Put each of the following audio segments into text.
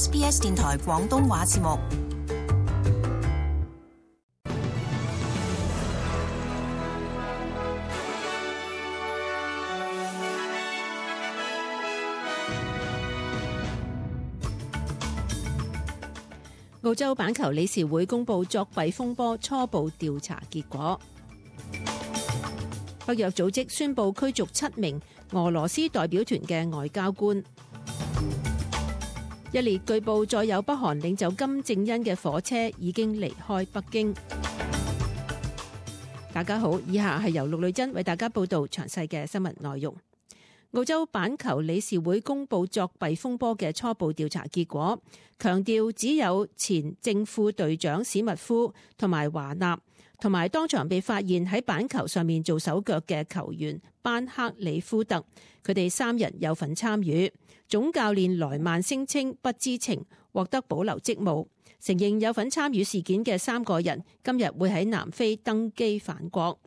SBS 電台廣東話節目。澳洲板球理事會公布作弊風波初步調查結果。北約組織宣布驅逐7名俄羅斯代表團嘅外交官。一列據報載有北韓領袖金正恩嘅火車已經離開北京。大家好，以下係由陸女珍為大家報道詳細嘅新聞內容。澳洲板球理事會公布作弊風波嘅初步調查結果，強調只有前正副隊長史密夫同埋華納，同埋當場被發現喺板球上面做手腳嘅球員班克里夫特，佢哋3人有份參與。總教練萊曼聲稱不知情，獲得保留職務。承認有份參與事件嘅3個人今日會喺南非登機返國。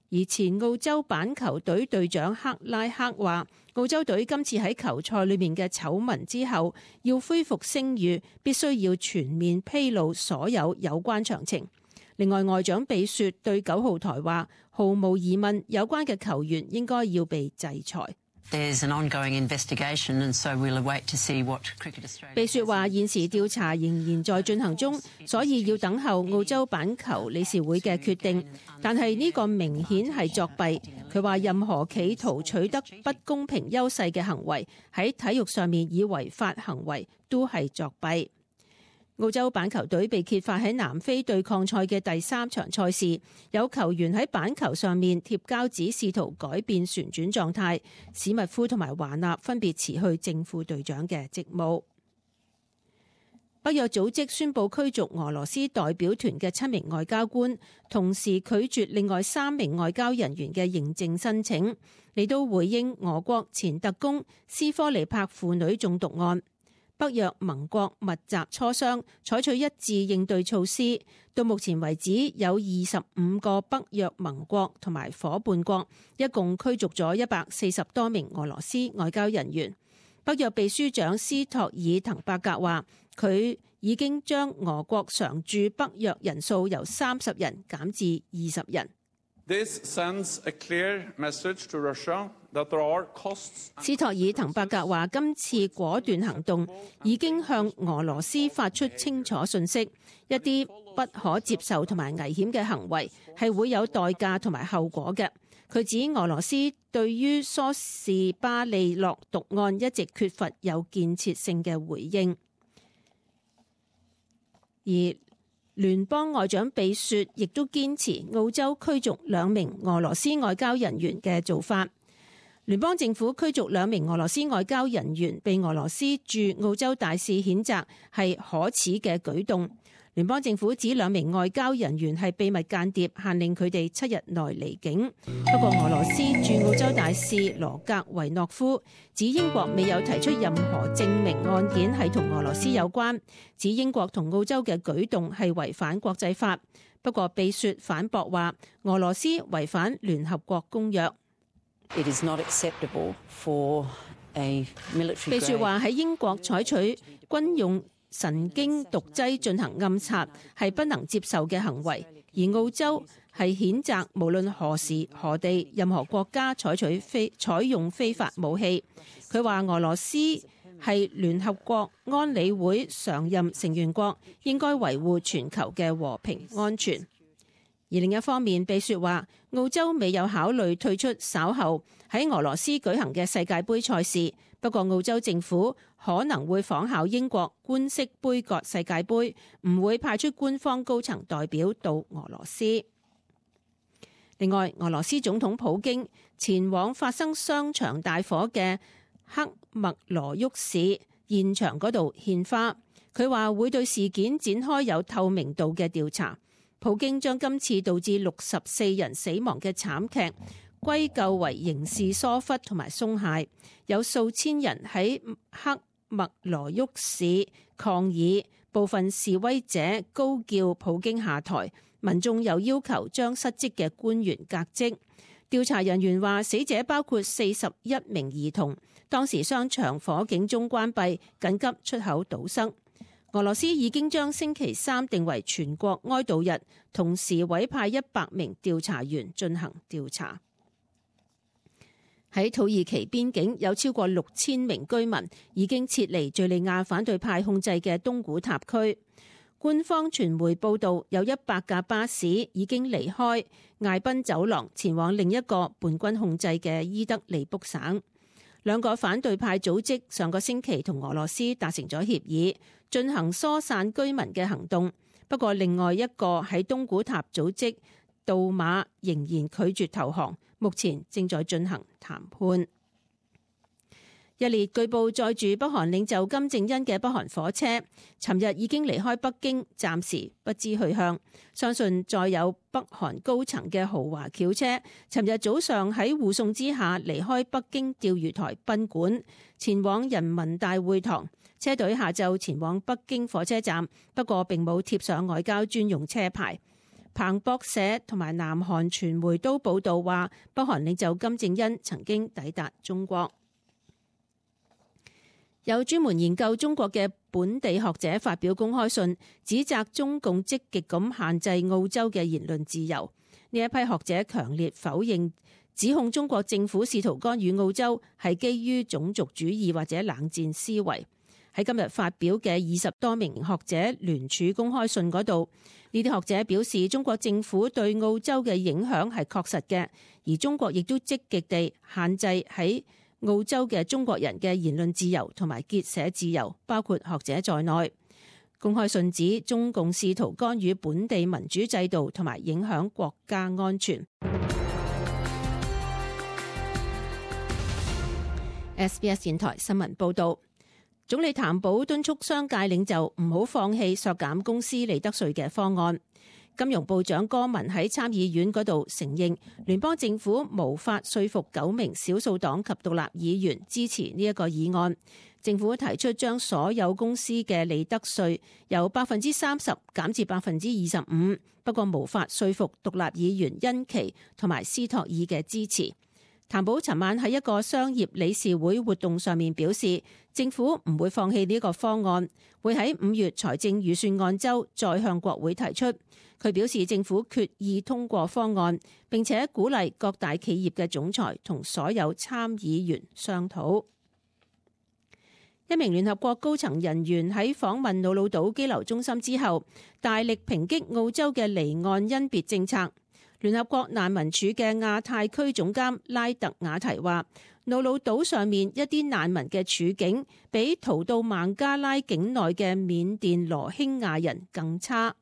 而前澳洲板球隊隊長克拉克話，澳洲隊今次喺球賽裏面嘅醜聞之後，要恢復聲譽，必須要全面披露所有有關詳情。另外，外長比雪對9號台話，毫無疑問，有關嘅球員應該要被制裁。比雪話，現時調查仍然在進行中，所以要等候澳洲板球理事會嘅決定。但係呢個明顯係作弊。佢話任何企圖取得不公平優勢嘅行為，喺體育上面以違法行為都係作弊。澳洲板球隊被揭發喺南非對抗賽嘅第3場賽事，有球員喺板球上面貼膠紙，試圖改變旋轉狀態。史密夫同埋華納分別辭去正副隊長嘅職務。北約組織宣布驅逐俄羅斯代表團嘅7名外交官，同時拒絕另外3名外交人員嘅認證申請，嚟到回應俄國前特工斯科尼帕婦女中毒案。北約盟國密集磋商，採取一致應對措施。到目前為止，有25個北約盟國同埋夥伴國，一共驅逐咗140多名俄羅斯外交人員。北約秘書長斯托爾滕伯格話，佢已經將俄國常駐北約人數由30人減至20人。This sends a clear message to Russia that there are costs. 斯托爾滕伯格話，今次果斷行動已經向俄羅斯發出清楚訊息，一啲不可接受同埋危險嘅行為係會有代價同埋後果嘅。佢指俄羅斯對於蘇士巴利諾毒案一直缺乏有建設性嘅回應，而聯邦外長比雪亦都堅持澳洲驅逐2名俄羅斯外交人員嘅做法。聯邦政府驅逐2名俄羅斯外交人員，被俄羅斯駐澳洲大使譴責係可恥嘅舉動。聯邦政府指2名外交人員係秘密間諜，限令佢哋7日內離境。不過俄羅斯駐澳洲大使羅格維諾夫指英國未有提出任何證明案件係同俄羅斯有關，指英國同澳洲嘅舉動係違反國際法。不過比雪反駁話，俄羅斯違反聯合國公約。It is not acceptable for a military grade. 比雪話喺英國採取軍用神經毒劑進行暗殺係不能接受嘅行為，而澳洲係譴責無論何時何地任何國家採用非法武器。佢話俄羅斯係聯合國安理會常任成員國，應該維護全球嘅和平安全。而另一方面，比雪話澳洲未有考慮退出稍後喺俄羅斯舉行嘅世界盃賽事，不過澳洲政府可能會仿效英國官式杯葛世界盃，唔會派出官方高層代表到俄羅斯。另外，俄羅斯總統普京前往發生商場大火嘅克麥羅沃市現場嗰度獻花，佢話會對事件展開有透明度嘅調查。普京將今次導致64人死亡嘅慘劇歸咎為刑事疏忽同埋鬆懈，有數千人喺克麥羅沃市抗議，部分示威者高叫普京下台，民眾又要求將失職嘅官員革職。調查人員話，死者包括41名兒童。當時商場火警中關閉，緊急出口堵塞。俄羅斯已經將星期三定為全國哀悼日，同時委派100名調查員進行調查。喺土耳其邊境有超過6000名居民已經撤離敘利亞反對派控制嘅東古塔區。官方傳媒報道，有100架巴士已經離開艾賓走廊，前往另一個叛軍控制嘅伊德利卜省。兩個反對派組織上個星期同俄羅斯達成咗協議，進行疏散居民嘅行動。不過另外一個喺東古塔組織杜馬仍然拒絕投降，目前正在進行談判。一列據報載住北韓領袖金正恩嘅北韓火車，尋日已經離開北京，暫時不知去向。相信載有北韓高層嘅豪華轎車，尋日早上喺護送之下離開北京釣魚台賓館，前往人民大會堂。車隊下晝前往北京火車站，不過並冇貼上外交專用車牌。彭博社同埋南韓傳媒都報道話，北韓領袖金正恩曾經抵達中國。有專門研究中國嘅本地學者發表公開信，指責中共積極咁限制澳洲嘅言論自由。呢一批學者強烈否認，指控中國政府試圖干預澳洲係基於種族主義或者冷戰思維。喺今日發表嘅20多名學者聯署公開信嗰度，呢啲學者表示，中國政府對澳洲嘅影響係確實嘅，而中國亦都積極地限制喺澳洲嘅中國人嘅言論自由同埋結社自由，包括學者在內。公開信指中共試圖干預本地民主制度同埋影響國家安全。SBS 電台新聞報道，總理譚寶敦促商界領袖唔好放棄削減公司利得稅嘅方案。金融部長戈文喺參議院嗰度承認，聯邦政府無法說服9名少數黨及獨立議員支持呢一個議案。政府提出將所有公司嘅利得稅由30%減至25%，不過無法說服獨立議員恩琪同埋斯托爾嘅支持。譚寶尋晚喺一個商業理事會活動上面表示，政府唔會放棄呢個方案，會喺5月財政預算案週再向國會提出。佢表示政府決意通過方案，並且鼓勵各大企業嘅總裁同所有參議員商討。一名聯合國高層人員喺訪問瑙魯島羈留中心之後，大力抨擊澳洲嘅離岸甄別政策。聯合國難民署嘅亞太區總監拉特雅提話，瑙魯島上面一啲難民嘅處境比逃到孟加拉境內嘅緬甸羅興亞人更差。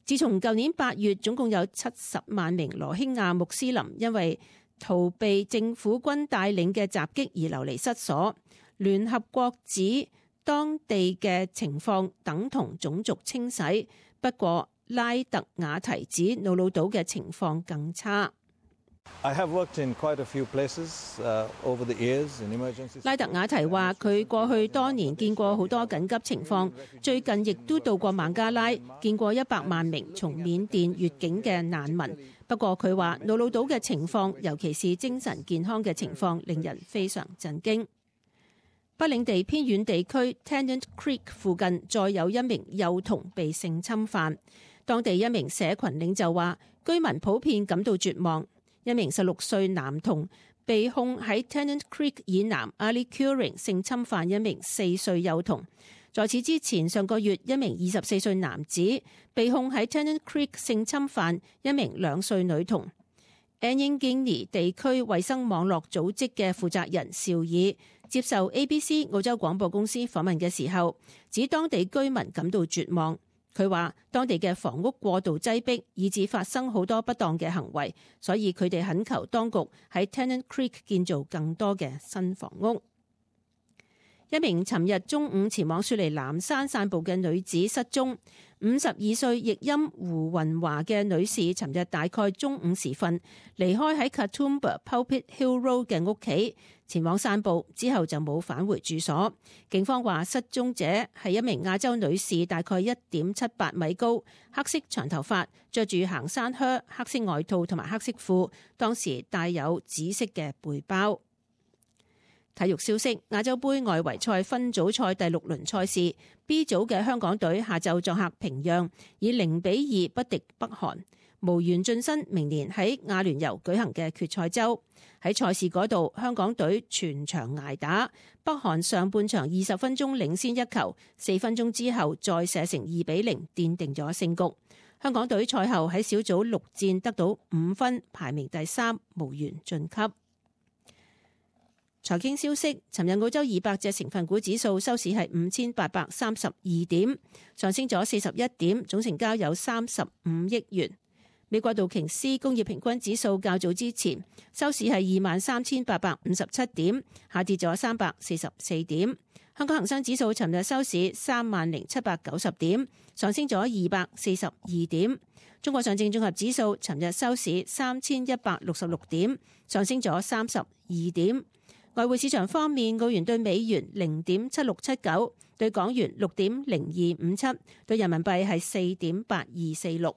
自從舊年8月，總共有70萬名羅興亞穆斯林因為逃避政府軍帶領嘅襲擊而流離失所。聯合國指當地嘅情況等同種族清洗，不過拉特雅提指瑙魯島嘅情況更差。拉特雅提話，佢過去多年見過好多緊急情況，最近亦都到過孟加拉，見過100萬名從緬甸越境嘅難民。不過佢話瑙魯島嘅情況，尤其是精神健康嘅情況，令人非常震驚。北領地偏遠地區 Tennant Creek 附近再有一名幼童被性侵犯，當地一名社群領袖話，居民普遍感到絕望。一名16歲男童被控喺 Tennant Creek 以南 Ali Curran 性侵犯一名4歲幼童。在此之前，上個月一名24歲男子被控喺 Tennant Creek 性侵犯一名2歲女童。Anyangini 地區衛生網絡組織嘅負責人邵爾接受 ABC 澳洲廣播公司訪問嘅時候，指當地居民感到絕望。佢話當地嘅房屋過度擠迫，以致發生好多不當嘅行為，所以佢哋懇求當局喺 Tennant Creek 建造更多嘅新房屋。一名尋日中午前往雪梨藍山散步嘅女子失蹤， 52歲譯音胡雲華嘅女士，尋日大概中午時分離開喺 Katoomba Pulpit Hill Road 嘅屋企，前往散步，之後就冇返回住所。警方話失蹤者係一名亞洲女士，大概1.78米高，黑色長頭髮，着住行山靴、黑色外套同埋黑色褲，當時帶有紫色嘅背包。體育消息：亞洲盃外圍賽分組賽第6輪賽事 B 組嘅香港隊下晝作客平壤，以0-2不敵北韓，無緣晉身明年喺亞聯酋舉行嘅決賽周。喺賽事嗰度，香港隊全場捱打，北韓上半場20分鐘領先1球，4分鐘之後再射成2-0，奠定咗勝局。香港隊賽後喺小組6戰得到5分，排名第3，無緣晉級。財經消息：尋日澳洲200隻成分股指數收市係5832點，上升咗41點，總成交有35億元。美國道瓊斯工業平均指數較早之前收市係23,857點，下跌咗344點。香港恒生指數尋日收市30,790點，上升咗242點。中國上證綜合指數尋日收市3166點，上升咗32點。外匯市場方面，澳元對美元0.7679，對港元6.0257，對人民幣係4.8246。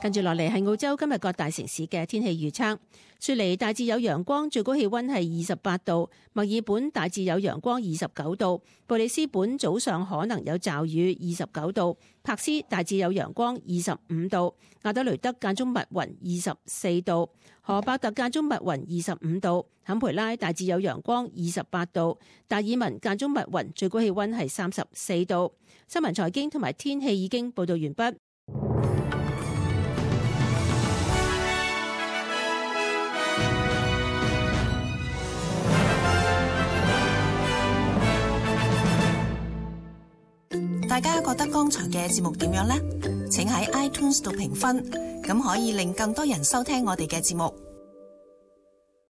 跟住落嚟係澳洲今日各大城市嘅天氣預測。雪梨大致有陽光，最高氣溫係28度；墨爾本大致有陽光，29度；布里斯本早上可能有驟雨，29度；柏斯大致有陽光，25度；亞德雷德間中密雲，24度；荷伯特間中密雲，25度；坎培拉大致有陽光，28度；達爾文間中密雲，最高氣溫係34度。新聞財經同埋天氣已經報道完畢。大家覺得剛才嘅節目點樣呢？請喺 iTunes 度評分，咁可以令更多人收聽我哋嘅節目。